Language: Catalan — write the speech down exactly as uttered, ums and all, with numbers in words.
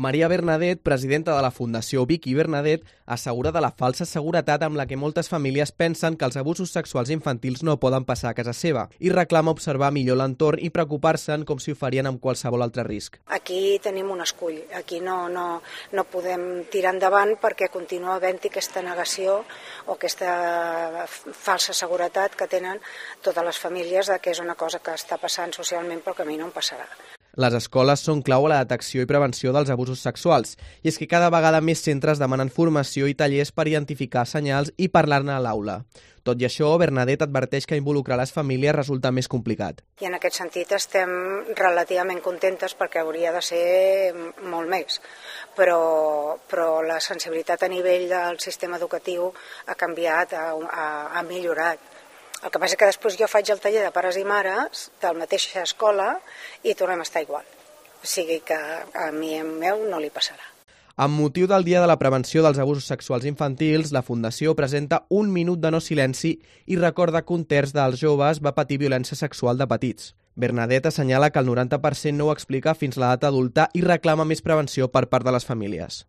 Maria Bernadet, presidenta de la Fundació Vic i Bernadet, assegura de la falsa seguretat amb la que moltes famílies pensen que els abusos sexuals infantils no poden passar a casa seva i reclama observar millor l'entorn i preocupar-se'n com si ho farien amb qualsevol altre risc. Aquí tenim un escull, aquí no, no, no podem tirar endavant perquè continua havent-hi aquesta negació o aquesta falsa seguretat que tenen totes les famílies de que és una cosa que està passant socialment però que a mi no em passarà. Les escoles són clau a la detecció i prevenció dels abusos sexuals, i és que cada vegada més centres demanen formació i tallers per identificar senyals i parlar-ne a l'aula. Tot i això, Bernadet adverteix que involucrar les famílies resulta més complicat. I en aquest sentit estem relativament contentes perquè hauria de ser molt més, però, però la sensibilitat a nivell del sistema educatiu ha canviat, ha, ha, ha millorat. El que passa és que després jo faig el taller de pares i mares de la mateixa escola i tornem a estar igual. O sigui que a mi i meu no li passarà. Amb motiu del Dia de la Prevenció dels Abusos Sexuals Infantils, la Fundació presenta un minut de no silenci i recorda que un terç dels joves va patir violència sexual de petits. Bernadet assenyala que el noranta per cent no ho explica fins a l'edat adulta i reclama més prevenció per part de les famílies.